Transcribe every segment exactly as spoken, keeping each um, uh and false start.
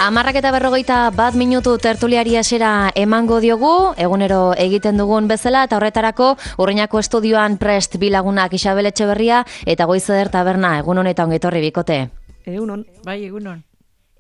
Hamarrak eta berrogeita bat minutu tertuliari hasiera emango diogu, egunero egiten dugun bezala, eta horretarako Urruñako estudioan prest bilagunak Isabel Etxeberria eta Goizeder Taberna. Egunon eta ongetorri bikote. Egunon, bai egunon.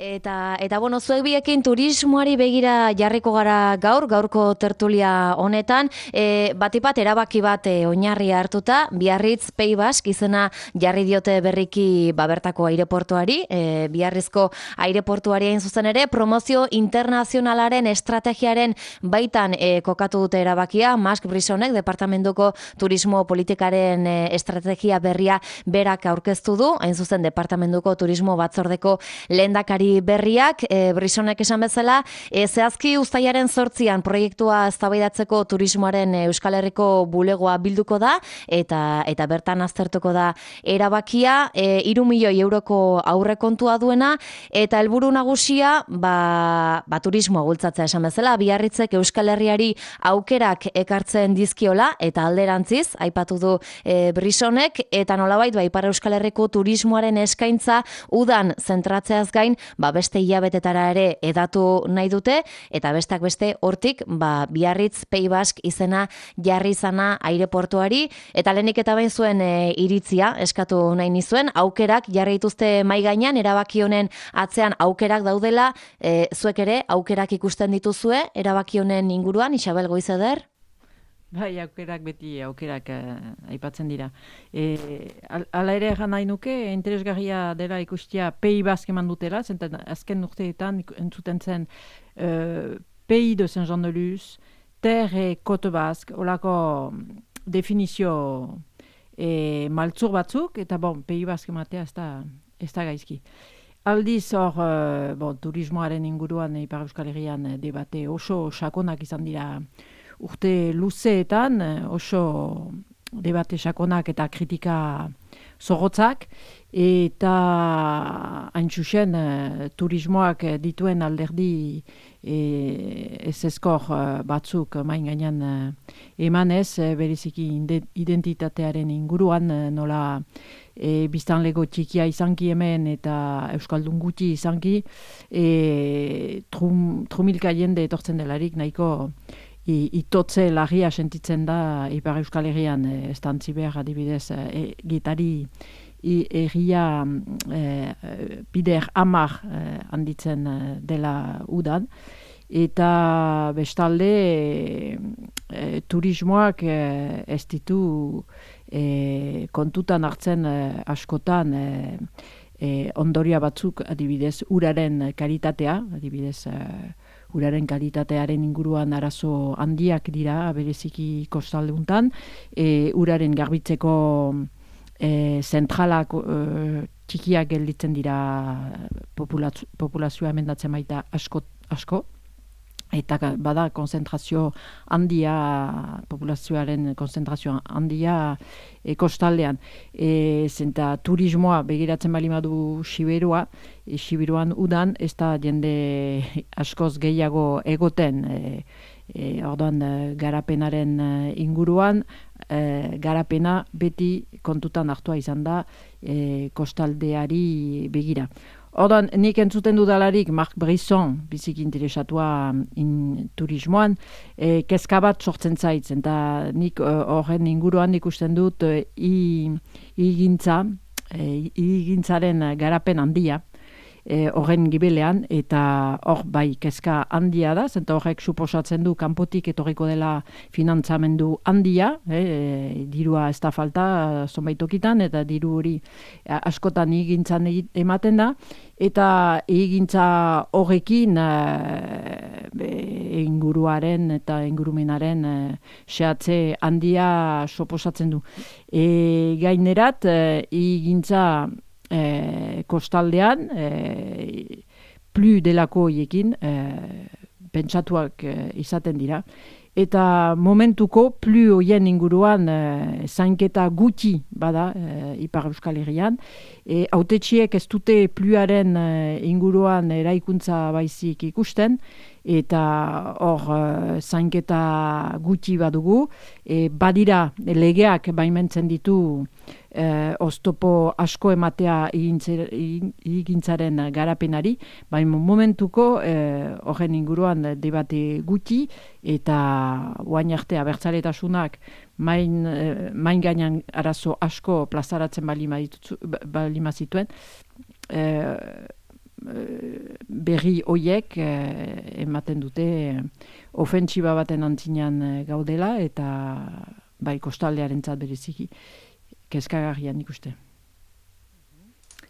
Eta, eta bueno, zuek biekin turismoari begira jarriko gara gaur, gaurko tertulia honetan, e, batipat erabaki bat e, oinarria hartuta, Biarritz Pays Basque izena jarri diote berriki babertako aireportuari, e, Biarrizko aireportuari hain zuzen ere, promozio internazionalaren estrategiaren baitan e, kokatu dute erabakia, Marc Brissonek, departamentuko turismo politikaren e, estrategia berria berak aurkeztu du, hain zuzen departamentuko turismo batzordeko lehendakari berriak, e, Brissonek esan bezala, e, zehazki uztailaren zortzian proiektua eztabaidatzeko turismoaren e, Euskal Herriko bulegoa bilduko da, eta eta bertan aztertuko da erabakia, e, hiru milioi euroko aurrekontua duena, eta helburu nagusia, ba, ba turismoa bultzatzea esan bezala, Biarritzek Euskal Herriari aukerak ekartzen dizkiola, eta alderantziz, aipatu du e, Brissonek, eta nolabait, ba, Ipar Euskal Herriko turismoaren eskaintza udan zentratzeaz gain, ba beste hilabetetara ere edatu nahi dute, eta bestak beste hortik ba Biarritz Pays Basque izena jarri izana aireportuari, eta lehenik eta bain zuen e, iritzia eskatu nahi nizuen, aukerak jarri dituzte mai gainean, erabaki honen atzean aukerak daudela, e, zuek ere aukerak ikusten dituzue erabaki honen inguruan, Isabel Goizeder? Bai, aukerak beti aukerak uh, aipatzen dira. E, al, ala ere egan nahi nuke, interesgarria dela ikustia Pays Basque eman dutela, zenten azken urteetan entzuten zen uh, Pays de Saint-Jean-de-Luz, Terre et Côte Basque, olako definizio e, maltzur batzuk, eta bon, Pays Basque ematea ez da, ez da gaizki. Aldiz hor, uh, bon, turismoaren inguruan Ipar Euskal Herrian debate oso sakonak izan dira urte luzeetan, oso debate sakonak eta kritika zorrotzak, eta hain zuzen turismoak dituen alderdi e, ez eskor batzuk main gainean emanez, bereziki identitatearen inguruan, nola e, biztanlego txikia izanki hemen eta euskaldun gutxi izanki, e, trum, trumilka jende etortzen delarik nahiko I, itotze larria sentitzen da Ipar Euskal Herrian, e, estantzi behar adibidez, e, gitari erria e, bider amar e, handitzen dela udan, eta bestalde e, e, turismoak e, ez ditu e, kontutan hartzen e, askotan e, e, ondoria batzuk adibidez uraren kalitatea, adibidez e, uraren kalitatearen inguruan arazo handiak dira, bereziki kostaldeuntan, e, uraren garbitzeko e, zentralak e, txikiak gelditzen dira populazio, populazioa emendatzen baita asko, asko. Eta bada konzentrazio handia, populazioaren konzentrazio handia e, kostaldean. E, zenta turismoa begiratzen bali madu Siberua, e, Siberuan udan, ez da jende askoz gehiago egoten, e, e, orduan garapenaren inguruan, e, garapena beti kontutan hartua izan da e, kostaldeari begira. Ordan, nik entzuten dudalarik Marc Brisson, bizik interesatua in turismoan, e, kezka bat sortzen zaitzen, eta nik horren uh, inguruan ikusten dut uh, igintza, e, igintzaren garapen handia, horren e, gibelean, eta hor bai kezka handia da, zenta horrek suposatzen du kanpotik etorriko dela finantzamendu handia, e, dirua ez da falta zonbait tokitan, eta diru hori askotan igintzan ematen da, eta egintza horrekin e, inguruaren eta ingurumenaren e, xehatze handia suposatzen du. E, gainerat, egintza E, kostaldean e, plu delako hiekin e, pentsatuak e, izaten dira, eta momentuko plu hoien inguruan e, zainketa gutxi bada e, Ipar Euskal Herrian, e, hautetxiek ez dute pluaren e, inguruan eraikuntza baizik ikusten, eta hor uh, zainketa gutxi badugu, e, badira legeak baimentzen ditu eh, oztopo asko ematea egintzaren garapenari, baina momentuko eh, horren inguruan debate gutxi, eta guain arte abertzaletasunak main, eh, main gainan arazo asko plazaratzen balima zituen, eh, berri hoiek eh, ematen dute eh, ofentsiba baten antzinean eh, gaudela, eta bai kostaldearentzat bereziki kezkagarrian ikuste.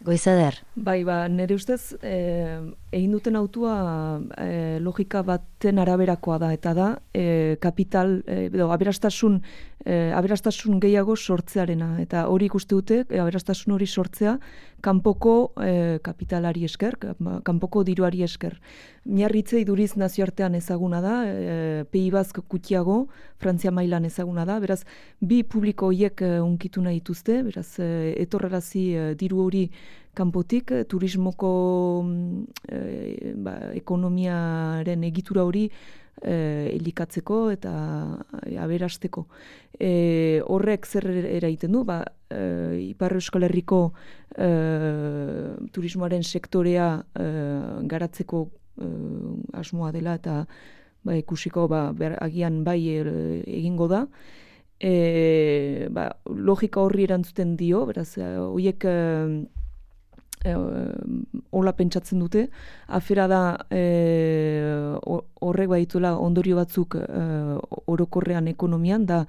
Goizader. Bai, ba, nire ustez, eh, egin duten autua eh, logika baten araberakoa da, eta da, eh, kapital, eh, edo, aberastasun, eh, aberastasun gehiago sortzearena, eta hori ikuste dute, eh, aberastasun hori sortzea, kanpoko eh, kapitalari esker, kanpoko diruari esker. Miarritze iduriz nazioartean ezaguna da, eh, P I B gutxiago, Frantzia mailan ezaguna da, beraz, bi publiko horiek eh, unkitu nahi dituzte, beraz, eh, etorrarazi eh, diru hori kanpotik, eh, turismoko eh, ba, ekonomiaren egitura hori eh, elikatzeko eta eh, aberasteko. Eh, horrek zer eraiten du, ba, eh, Ipar Euskal Herriko eh, turismoaren sektorea eh, garatzeko eh, asmoa dela, eta ba, ikusiko ba, ber, agian bai eh, egingo da. E, ba, logika horri erantzuten dio, beraz, horiek eh, E, hola pentsatzen dute, afera da e, horrek badituela ondorio batzuk e, orokorrean ekonomian, da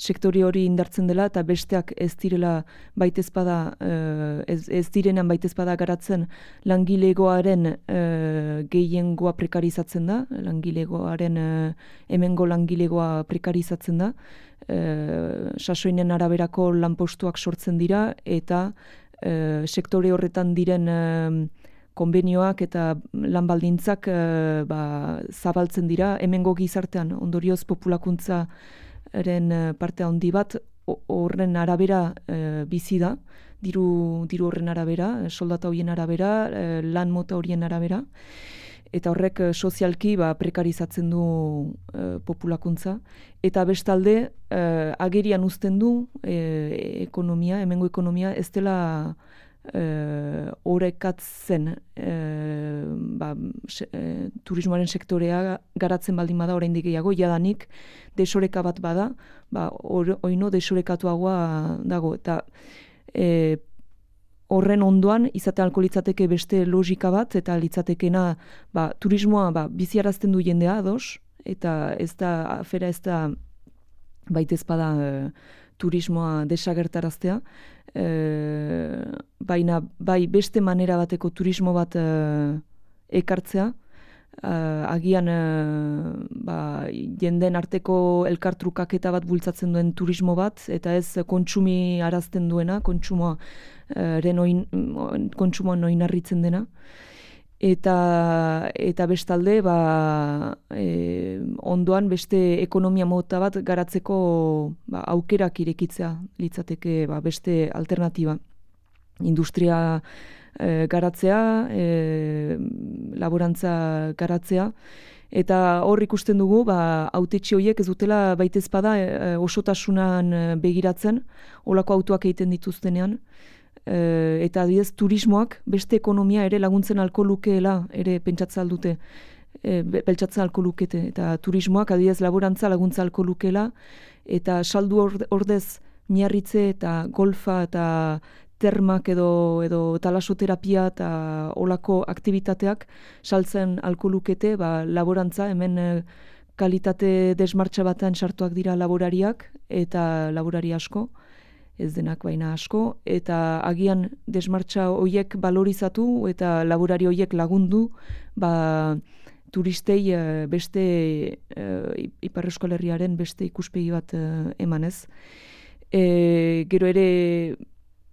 sektore hori indartzen dela eta besteak ez direla baitezpada, e, ez, ez direnean baitezpada garatzen langilegoaren e, gehiengoa prekarizatzen da, langilegoaren e, hemengo langilegoa prekarizatzen da, e, sasoinen araberako lanpostuak sortzen dira, eta Uh, sektore horretan diren uh, konbenioak eta lan baldintzak uh, ba, zabaltzen dira, hemengo gizartean ondorioz populakuntzaren uh, parte handi bat horren arabera uh, bizi da, diru, diru horren arabera, soldata horien arabera, uh, lan mota horien arabera, eta horrek uh, sozialki ba, prekarizatzen du uh, populakuntza, eta bestalde uh, agerian uzten du uh, ekonomia, hemengo ekonomia ez dela uh, orekatzen uh, ba, se, uh, turismoaren sektorea garatzen baldin bada oraindik gehiago, jadanik desoreka bat bada, ba, or, oino desorekatuagoa dago, eta uh, horren ondoan izaten alko litzateke beste logika bat, eta litzatekena ba, turismoa ba, biziarazten du jendea ados, eta ez da, afera ez da baitezpada e, turismoa desagertaraztea, e, baina bai beste manera bateko turismo bat e, ekartzea, e, agian e, ba, jenden arteko elkartrukaketa bat bultzatzen duen turismo bat, eta ez kontsumi arazten duena, kontsumoa ren oin, kontsumoan oinarritzen dena. Eta, eta bestalde, ba, e, ondoan beste ekonomia mota bat garatzeko ba, aukerak irekitzea litzateke ba, beste alternatiba. Industria e, garatzea, e, laborantza garatzea, eta hor ikusten dugu, ba, hautetxe horiek ez dutela baitezpada e, osotasunan begiratzen, holako autoak egiten dituztenean, Uh, eta adibidez turismoak beste ekonomia ere laguntzen alko lukeela ere pentsatzen aldute, e, pentsatzen alko lukete, eta turismoak adibidez laborantza laguntza alko lukeela, eta saldu ordez miarritze eta golfa eta termak edo, edo talasoterapia eta olako aktivitateak saltzen alko lukete, ba, laborantza hemen e, kalitate desmartxa batean sartuak dira laborariak eta laborari asko, ez denak baina asko, eta agian desmartxa horiek balorizatu eta laborari horiek lagundu, ba, turistei beste e, Ipar Euskal Herriaren beste ikuspegi bat e, emanez. E, gero ere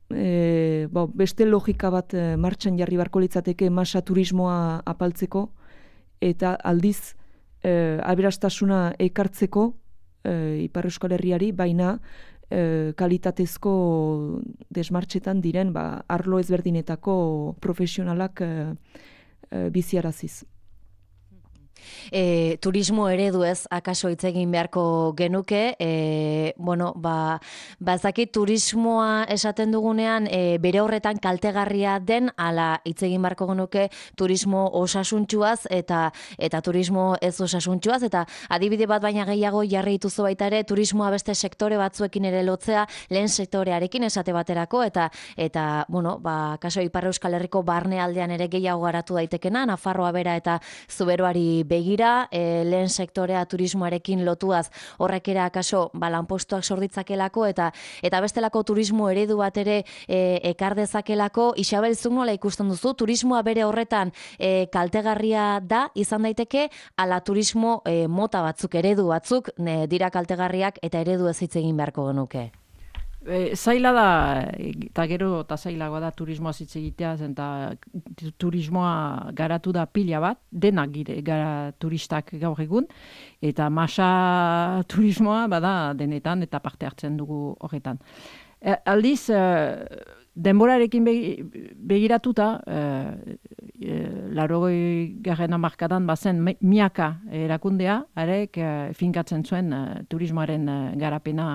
e, bo, beste logika bat e, martxan jarri barko litzateke masa turismoa apaltzeko, eta aldiz e, aberastasuna ekartzeko e, Ipar Euskal Herriari, baina E, kalitatezko desmartxetan diren ba, arlo ezberdinetako profesionalak e, e, biziaraziz. E, turismo eredu ez, akaso hitz egin beharko genuke, e, bueno, ba, ba ezakit turismoa esaten dugunean e, bere horretan kaltegarria den, ala hitz egin beharko genuke turismo osasuntsuaz eta eta turismo ez osasuntsuaz, eta adibide bat baina gehiago jarri dituzu baita ere, turismoa beste sektore batzuekin ere lotzea, lehen sektorearekin esate baterako, eta eta bueno, ba kaso Ipar Euskal Herriko barnealdean ere gehiago garatu daitekena, Nafarroa bera eta Zuberoari begira, e, lehen sektorea turismoarekin lotuaz horrek ere akaso ba, lanpostuak sorditzakelako eta eta bestelako turismo eredu bat ere e, ekar dezakelako. Isabel, zuk nola ikusten duzu, turismoa bere horretan e, kaltegarria da, izan daiteke, ala turismo e, mota batzuk, eredu batzuk ne, dira kaltegarriak eta eredu ez hitz egin beharko genuke? E, zaila da, eta gero eta zailagoa da turismoa hitz egitea, eta turismoa garatu da pila bat, denak gire, gara turistak gaur egun, eta masa turismoa bada denetan eta parte hartzen dugu horretan. E, aldiz, e, denborarekin begiratuta, e, e, larogoi garren hamarkadan bazen miaka erakundea, arek e, finkatzen zuen e, turismoaren e, garapena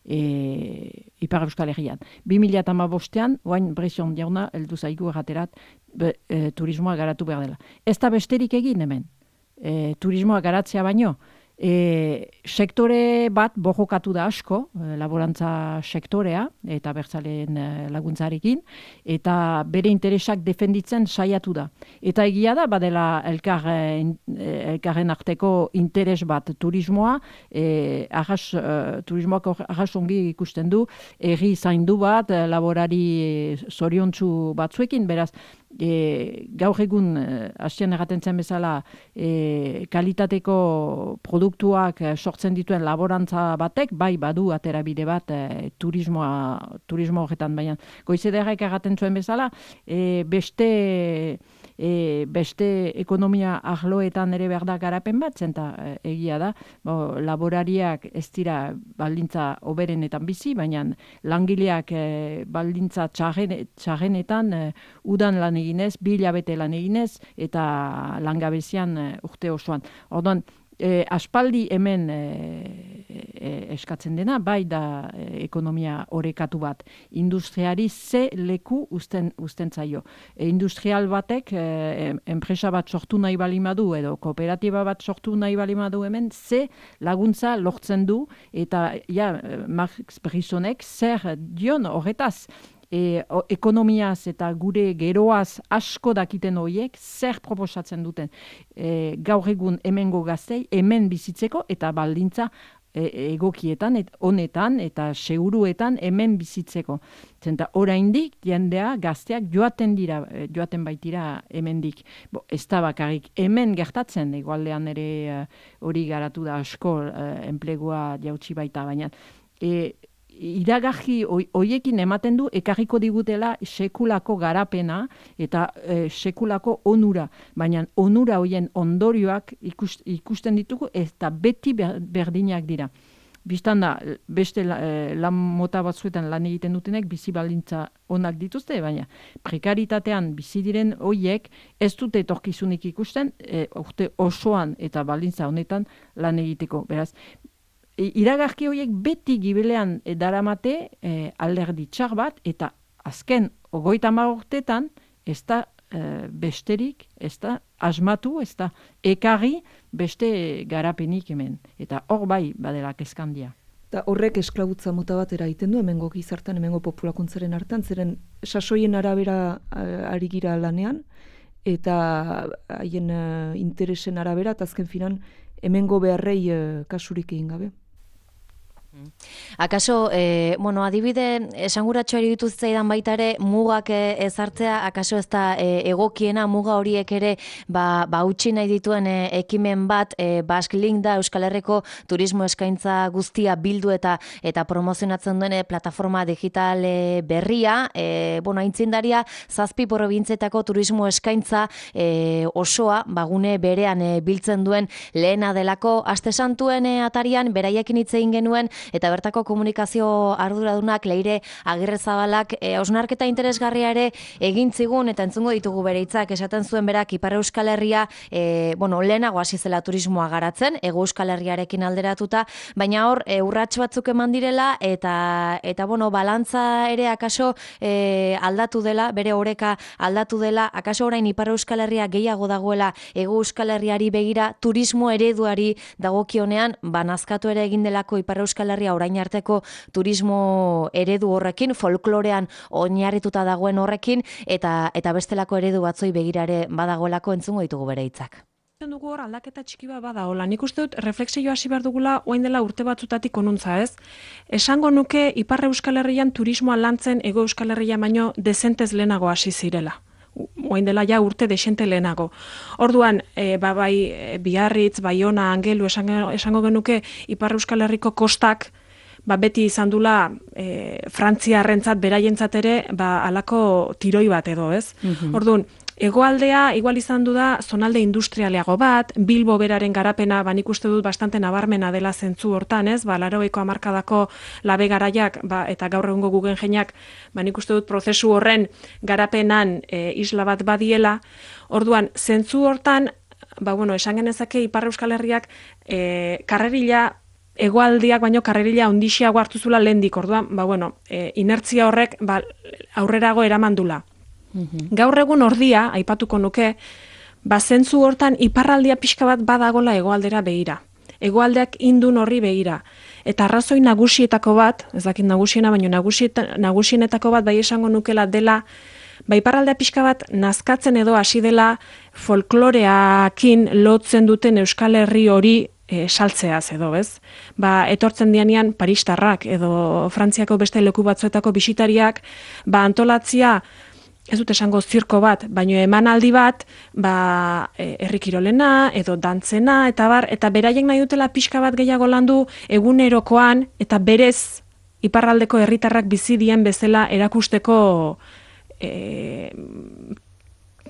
E, Ipar Euskal Herrian. bi mila hamabostean, oain Bresion jauna, heldu zaigu erraterat, e, turismoa garatu behar dela. Ez da besterik egin hemen, e, turismoa garatzea baino, e, sektore bat borrokatu da asko, e, laborantza sektorea, eta bertzaleen e, laguntzarekin, eta bere interesak defenditzen saiatu da. Eta egia da, badela elkar, e, elkarren arteko interes bat turismoa, e, arras, e, turismoak arras ongi ikusten du, erri zaindu bat, e, laborari zoriontsu batzuekin, beraz, E, gaur egun, e, hasien erraten zen bezala, e, kalitateko produktuak sortzen dituen laborantza batek, bai badu aterabide bat e, turismoa, turismo horretan, baina goizederrek erraten zuen bezala, e, beste, e, beste ekonomia arloetan ere behar da garapen bat, zenta e, egia da, bo, laborariak ez dira baldintza oberenetan bizi, baina langileak e, baldintza txarren, txarrenetan e, udan lan eginez, bi hilabete lan eginez, eta langabezian e, urte osoan. Orduan, e, aspaldi hemen e, e, eskatzen dena, bai da e, ekonomia orekatu bat. Industriari ze leku usten, usten zaio. E, industrial batek, e, enpresa bat sortu nahi balimadu, edo kooperatiba bat sortu nahi balimadu hemen, ze laguntza lortzen du, eta ja, Max Brisonek zer dion horretaz, E, o, ekonomiaz eta gure geroaz asko dakiten horiek zer proposatzen duten e, gaur egun hemengo gaztei hemen bizitzeko eta baldintza e, egokietan, et, honetan eta seguruetan hemen bizitzeko. Zenta oraindik jendea gazteak joaten dira, joaten baitira hemendik. Bo, ez da bakarrik hemen gertatzen, egualdean ere hori uh, garatu da asko uh, enplegua jautsi baita, baina e, iragarri hoiekin ematen du ekarriko digutela sekulako garapena eta e, sekulako onura, baina onura hoien ondorioak ikust, ikusten ditugu eta beti berdinak dira. Bistan da, beste e, lan mota batzuetan lan egiten dutenek bizi baldintza onak dituzte, baina prekaritatean bizi diren hoiek ez dute etorkizunik ikusten e, urte osoan eta baldintza honetan lan egiteko. Beraz, iragarki horiek beti gibelean daramate e, alderdi txar bat, eta azken hogeita hamar urtetan ez da e, besterik, ez da asmatu, ez da ekarri beste garapenik hemen. Eta hor bai badela kezkandia. Eta horrek esklabutza mota bat eraiten du, hemengo gizartan, hemengo populakuntzaren hartan, zeren sasoien arabera ari gira lanean, eta haien uh, interesen arabera, eta azken finan hemengo beharrei uh, kasurik egin gabe. Akaso, e, bueno, adibide esanguratxo eribitu zitzaidan baita ere mugak ezartzea, akaso ez da e, egokiena muga horiek ere ba, ba utzi nahi dituen e, ekimen bat, e, Basque Link da Euskal Herriko turismo eskaintza guztia bildu eta eta promozionatzen duen plataforma digital e, berria, e, bueno, aintzindaria zazpi probintzetako turismo eskaintza e, osoa bagune berean e, biltzen duen lehena delako. Aste Santuen e, atarian beraiekin hitz egin genuen eta bertako komunikazio arduradunak Leire Agirrezabalak e, hausnarketa interesgarria ere egin zigun eta entzungo ditugu bere hitzak. Esaten zuen berak Ipar Euskal Herria e, bueno, lehenago hasi zela turismoa garatzen, Hego Euskal Herriarekin alderatuta, baina hor e, urrats batzuk eman direla eta eta bueno, balantza ere akaso e, aldatu dela, bere oreka aldatu dela, akaso orain Ipar Euskal Herria gehiago dagoela Hego Euskal Herriari begira, turismo ereduari dagokionean banazkatu ere egin delako Ipar Euskal Herria orain arteko turismo eredu horrekin, folklorean oinarrituta dagoen horrekin, eta eta bestelako eredu batzoi begirare badagoelako entzungo ditugu bere hitzak. Dugu hor aldaketa txiki bat badagoela. Nik uste dut reflexioa hasi behar dugula orain dela urte batzutatik onuntza, ez? Esango nuke Ipar Euskal Herrian turismoa lantzen Hego Euskal Herria baino dezentez lehenago hasi zirela. Orain dela ja urte desente lehenago. Orduan, e, ba, bai Biarritz, Baiona, Angelu esango, esango genuke Ipar Euskal Herriko kostak ba, beti izan dula e, Frantziarrentzat beraientzat ere ba, alako tiroi bat edo, ez? Mm-hmm. Orduan, hegoaldea igual izan du da zonalde industrialeago bat, Bilbo beraren garapena, ba, nik uste dut bastante nabarmena dela zentzu hortan, ez? Ba, laurogeiko hamarkadako labe garaiak, ba, eta gaur egungo Guggenheimak, ba, nik uste dut prozesu horren garapenan e, isla bat badiela. Orduan, zentzu hortan, ba, bueno, esan genezake Ipar Euskal Herriak e, karrerila hegoaldiak baino karrerila ondixiago hartu zula lehendik. Orduan, ba, bueno, e, inertzia horrek ba, aurrerago eramandula. Gaur egun ordia, aipatuko nuke, ba zentzu hortan iparraldia pixka bat badagola hegoaldera begira. Hegoaldeak indun horri begira. Eta arrazoi nagusietako bat, ez dakit nagusiena, baina nagusienetako bat bai esango nukela dela, ba iparraldea pixka bat nazkatzen edo hasi dela folkloreakin lotzen duten Euskal Herri hori e, saltzeaz edo, ez? Ba, etortzen dianean paristarrak edo Frantziako beste leku batzuetako bisitariak, ba antolatzia ez dut esango zirko bat, baino emanaldi bat, ba, herri kirolena, edo dantzena, eta bar, eta beraiek nahi dutela pixka bat gehiago landu egunerokoan, eta berez iparraldeko herritarrak bizi dien bezala erakusteko e,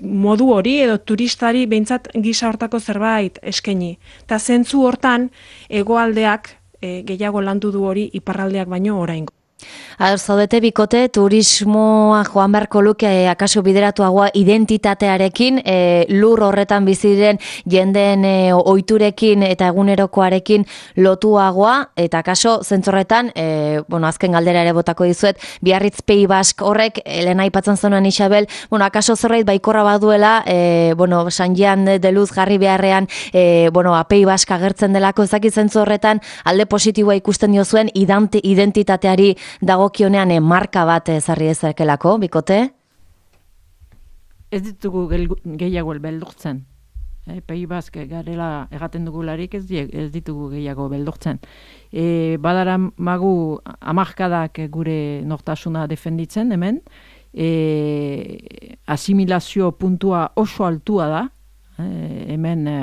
modu hori, edo turistari behintzat gisa hortako zerbait eskaini. Eta zentzu hortan, hegoaldeak e, gehiago landu du hori iparraldeak baino oraingo. Ador, zaudete bikote, turismoa joan beharko luke e, akaso bideratuagoa identitatearekin, e, lur horretan biziren jendeen e, ohiturekin eta egunerokoarekin lotuagoa, eta akaso zentzorretan, e, bueno, azken galdera ere botako dizuet, Biarritz Pei Bask horrek, Elena aipatzen zenuen Isabel, bueno, akaso zerbait baikorra baduela, e, bueno, San Jean de Luz jarri beharrean, e, bueno, Pei Bask agertzen delako, ezakit zentzu horretan, alde positiboa ikusten diozuen identitateari dagokionean e, marka bat ezarri ezakelako, bikote? Ez ditugu gehiago beldurtzen. E, Pei Bask garela egaten dugularik ez, ez ditugu gehiago beldurtzen. E, badara magu hamarkadak gure nortasuna defenditzen hemen, e, asimilazio puntua oso altua da, e, hemen e,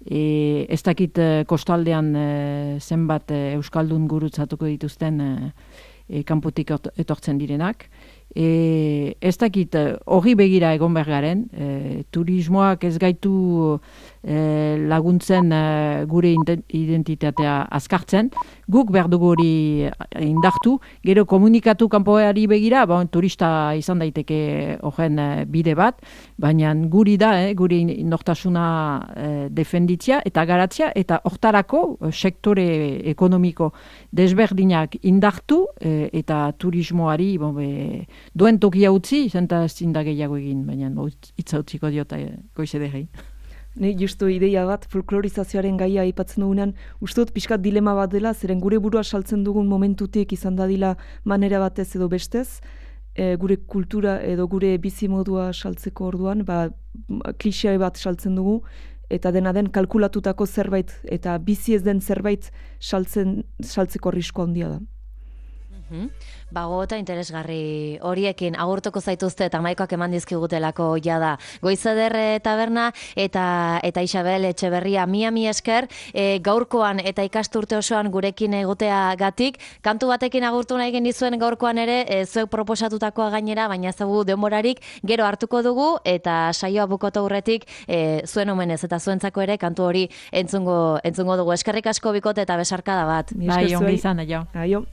E, ez dakit kostaldean e, zenbat e, Euskaldun gurutzatuko dituzten e, e, kanpotik etortzen direnak. E, ez dakit hori begira egon behar garen, e, turismoak ez gaitu e, laguntzen e, gure identitatea azkartzen, guk behar dugu hori indartu, gero komunikatu kanpoari begira, ba, turista izan daiteke horren e, bide bat, baina guri da, eh, guri nortasuna e, defenditzia eta garatzia, eta hortarako e, sektore ekonomiko desberdinak indartu e, eta turismoari bon, be, duen tokia utzi, zenta zinda gehiago egin, baina hitza utziko diota e, goize derri. Ne, justu ideia bat, folklorizazioaren gaia aipatzen dugunean, uste dut pixkat dilema bat dela, zeren gure burua saltzen dugun momentutik izan dadila manera batez edo bestez, e, gure kultura edo gure bizimodua saltzeko orduan, ba, klixea bat saltzen dugu, eta dena den kalkulatutako zerbait, eta bizi ez den zerbait saltzen, saltzeko arrisko handia da. Bago eta interesgarri horiekin agurtuko zaituzte eta maikoak eman dizkigutelako jada. Goizeder taberna eta eta Isabel Etxeberria mia mi esker e, gaurkoan eta ikasturte osoan gurekin egotea gatik. Kantu batekin agurtu nahi genizuen gaurkoan ere e, zuek proposatutakoa gainera, baina ezagu denborarik gero hartuko dugu eta saioa bukatu aurretik e, zuen omenez eta zuentzako ere kantu hori entzungo entzungo dugu. Eskerrik asko bikote eta besarkada bat. Bai, ongi izan, aio. Aio.